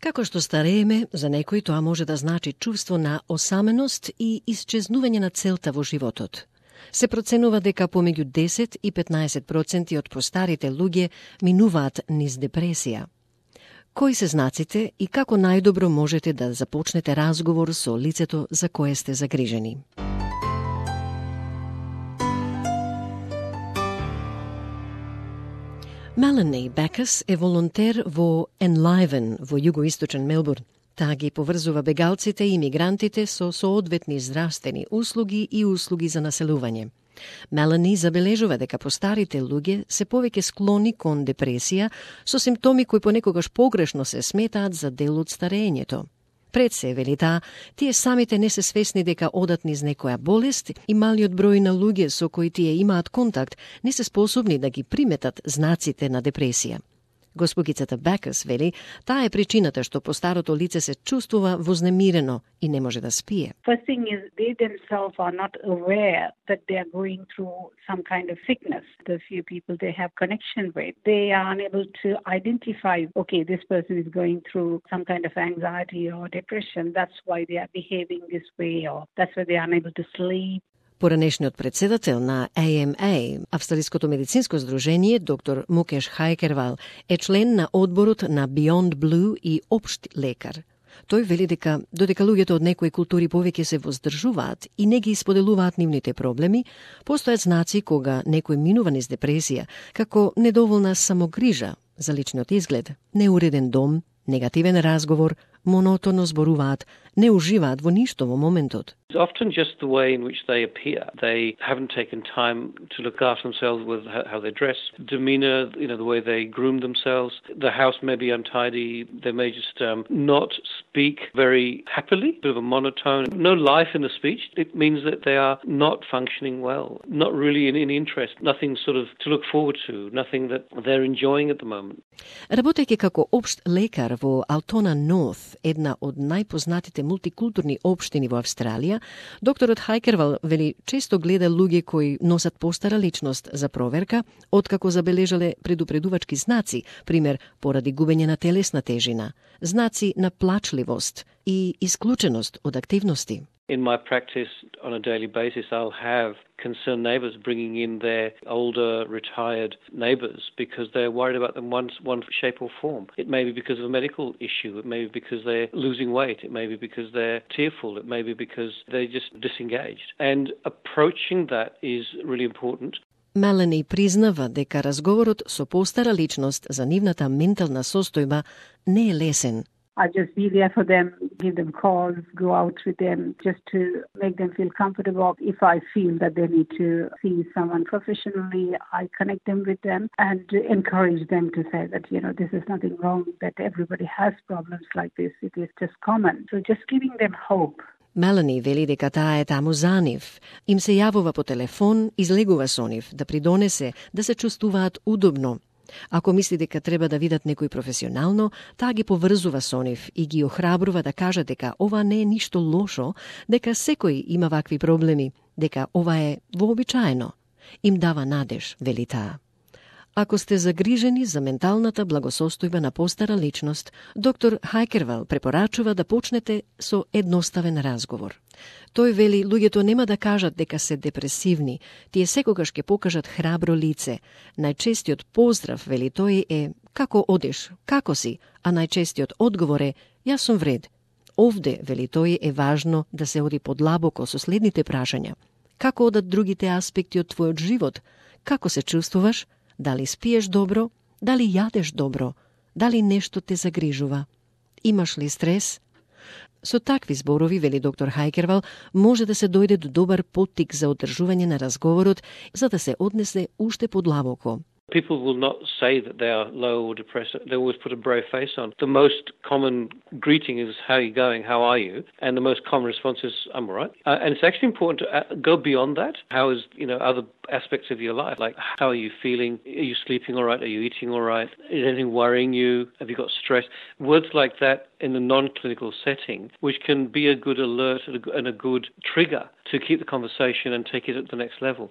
Како што старееме, за некој тоа може да значи чувство на осаменост и исчезнување на целта во животот. Се проценува дека помеѓу 10 и 15% од постарите луѓе минуваат низ депресија. Кои се знаците и како најдобро можете да започнете разговор со лицето за кое сте загрижени? Melanie Backus е волонтер во Enliven во југоисточен Мелбурн. Таа ги поврзува бегалците и имигрантите со соодветни здравствени услуги и услуги за населување. Мелани забележува дека постарите луѓе се повеќе склони кон депресија со симптоми кои понекогаш погрешно се сметаат за дел од старењето. Пред се, вели таа, тие самите не се свесни дека одат низ некоја болест и малиот број на луѓе со кои тие имаат контакт не се способни да ги приметат знаците на депресија. Госпогицата Бакус вели, таа е причината што постарото лице се чувствува вознемирено и не може да спие. First thing is they themselves are not aware that they are going through some kind of sickness. The few people they have connection with, they are unable to identify, okay, this person is going through some kind of anxiety or depression. That's why they are behaving this way, or that's why they are unable to sleep. Поранешниот председател на AMA, Австралиското медицинско здружение, доктор Мукеш Хайкервал, е член на одборот на Beyond Blue и општ лекар. Тој вели дека додека луѓето од некои култури повеќе се воздржуваат и не ги исподелуваат нивните проблеми, постојат знаци кога некој минува низ депресија, како недоволна самогрижа за личниот изглед, неуреден дом, негативен разговор, монотоно зборуваат, не уживаат во ништо во моментот. It's often just the way in which they appear. They haven't taken time to look after themselves with how they dress, demeanor, the way they groom themselves. The house may be untidy. They may just not speak very happily, a bit of a monotone. No life in the speech. It means that they are not functioning well, not really in interest, nothing sort of to look forward to, nothing that they're enjoying at the moment. Работејќи како општ лекар во Altona North, една од најпознатите мултикултурни општини во Австралија, докторот Хайкервал вели често гледа луѓе кои носат постара личност за проверка, откако забележале предупредувачки знаци, пример поради губење на телесна тежина, знаци на плачливост и исклученост од активности. In my practice, on a daily basis, I'll have concerned neighbours bringing in their older, retired neighbours because they're worried about them one shape or form. It may be because of a medical issue. It may be because they're losing weight. It may be because they're tearful. It may be because they're just disengaged. And approaching that is really important. Мелани признава дека разговорот со постара личност за нивната ментална состојба не е лесен. I just be there for them, give them calls, go out with them, just to make them feel comfortable. If I feel that they need to see someone professionally, I connect them with them and encourage them to say that, this is nothing wrong, that everybody has problems like this. It is just common. So just giving them hope. Мелани вели дека таа е таму за нив. Им се јавува по телефон, излегува со нив, да придонесе да се чувствуваат удобно. Ако мисли дека треба да видат некој професионално, таа ги поврзува со нив и ги охрабрува да кажат дека ова не е ништо лошо, дека секој има вакви проблеми, дека ова е вообичаено. Им дава надеж, вели таа. Ако сте загрижени за менталната благосостојба на постара личност, доктор Хайкервал препорачува да почнете со едноставен разговор. Тој вели луѓето нема да кажат дека се депресивни, тие секогаш ќе покажат храбро лице. Најчестиот поздрав, вели тој, е како одиш, како си, а најчестиот одговор е јас сум вред. Овде, вели тој, е важно да се оди подлабоко со следните прашања. Како одат другите аспекти од твојот живот? Како се чувствуваш? Дали спиеш добро? Дали јадеш добро? Дали нешто те загрижува? Имаш ли стрес? Со такви зборови, вели доктор Хайкервал, може да се дојде до добар поттик за одржување на разговорот, за да се однесе уште подлабоко. People will not say that they are low or depressed. They always put a brave face on. The most common greeting is, how are you going? How are you? And the most common response is, I'm all right. And it's actually important to go beyond that. How is, other aspects of your life? Like, how are you feeling? Are you sleeping all right? Are you eating all right? Is anything worrying you? Have you got stress? Words like that in the non-clinical setting, which can be a good alert and a good trigger to keep the conversation and take it at the next level.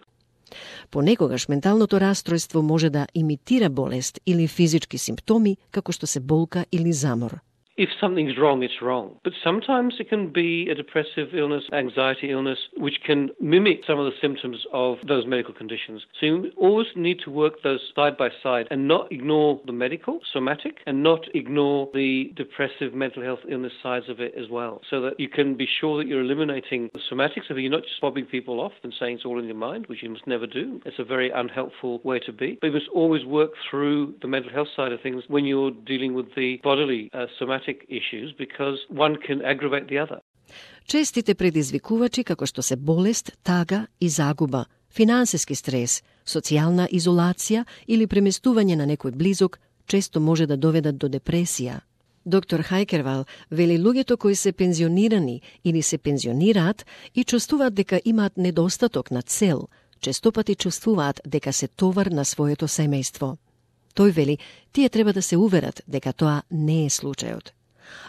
Понекогаш менталното расстройство може да имитира болест или физички симптоми, како што се болка или замор. If something's wrong, it's wrong. But sometimes it can be a depressive illness, anxiety illness, which can mimic some of the symptoms of those medical conditions. So you always need to work those side by side and not ignore the medical, somatic, and not ignore the depressive mental health illness sides of it as well. So that you can be sure that you're eliminating the somatics of it. You're not just fobbing people off and saying it's all in your mind, which you must never do. It's a very unhelpful way to be. But you must always work through the mental health side of things when you're dealing with the bodily somatic issues, because one can aggravate the other. Честите предизвикувачи како што се болест, тага и загуба, финансиски стрес, социјална изолација или преместување на некој близок често може да доведат до депресија. Доктор Хајкервал вели луѓето кои се пензионирани или се пензионираат и чувствуваат дека имаат недостаток на цел, честопати чувствуваат дека се товар на своето семејство. Тој вели, тие треба да се уверат дека тоа не е случајот.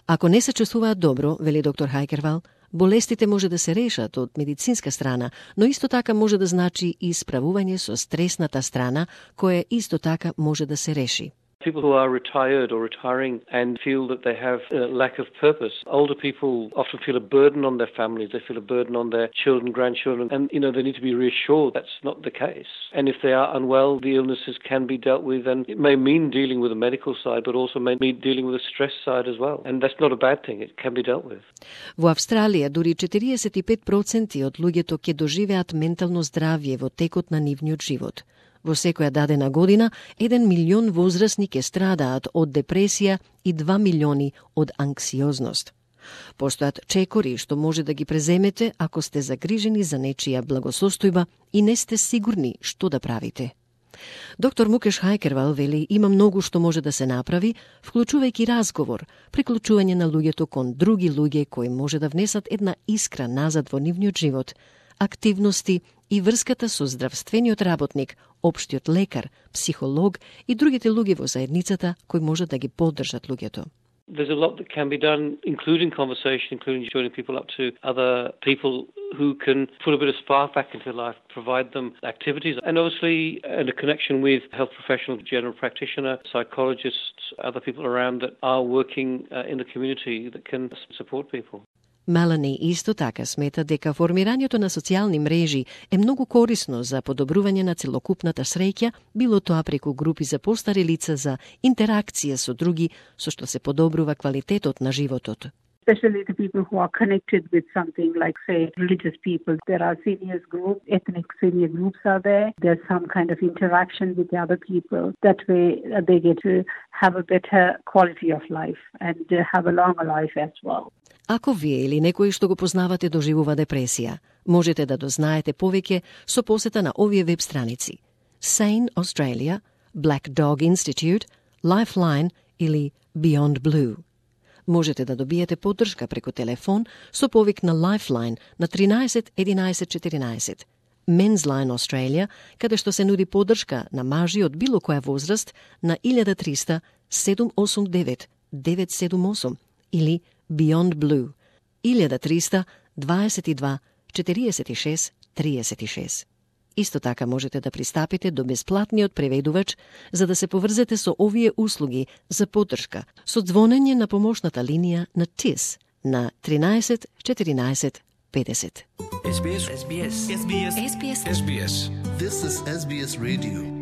Ако не се чувствуваат добро, вели доктор Хајкервал, болестите може да се решат од медицинска страна, но исто така може да значи и справување со стресната страна, која исто така може да се реши. People who are retired or retiring and feel that they have a lack of purpose. Older people often feel a burden on their families. They feel a burden on their children, grandchildren, and they need to be reassured that's not the case. And if they are unwell, the illnesses can be dealt with, and it may mean dealing with the medical side, but also may mean dealing with the stress side as well. And that's not a bad thing. It can be dealt with. Во Австралија дури 45% од луѓето ќе доживеат ментално здравје во текот на нивниот живот. Во секоја дадена година, 1 милион возрастни ќе страдаат од депресија и 2 милиони од анксиозност. Постојат чекори што може да ги преземете ако сте загрижени за нечија благосостојба и не сте сигурни што да правите. Доктор Мукеш Хајкервал вели има многу што може да се направи, вклучувајќи разговор, приклучување на луѓето кон други луѓе кои може да внесат една искра назад во нивниот живот, активности и врската со здравствениот работник, општиот лекар, психолог и другите луѓе во заедницата кои може да ги поддржат луѓето. There's a lot that can be done, including conversation, including joining people up to other people who can put a bit of spark back into life, provide them activities, and obviously and a connection with health professional, general practitioner, psychologists, other people around that are working in the community that can support people. Мелани исто така смета дека формирањето на социјални мрежи е многу корисно за подобрување на целокупната среќа, било тоа преку групи за постари лица за интеракција со други, со што се подобрува квалитетот на животот. Especially the people who are connected with something like, say, religious people. There are seniors groups, ethnic senior groups are there. There's some kind of interaction with the other people. That way they get to have a better quality of life and have a longer life as well. Ако вие или некој што го познавате доживува депресија, можете да дознаете повеќе со посета на овие веб страници: Sane Australia, Black Dog Institute, Lifeline или Beyond Blue. Можете да добиете поддршка преку телефон со повик на Lifeline на 13 11 14, Men's Line Australia, каде што се нуди поддршка на мажи од било која возраст на 1300 789 978 или Beyond Blue 1300 22 46 36. Исто така можете да пристапите до бесплатниот преведувач за да се поврзете со овие услуги за поддршка со звонење на помошната линија на TIS на 13 14 50. SBS. SBS. SBS. SBS. SBS. This is SBS Radio.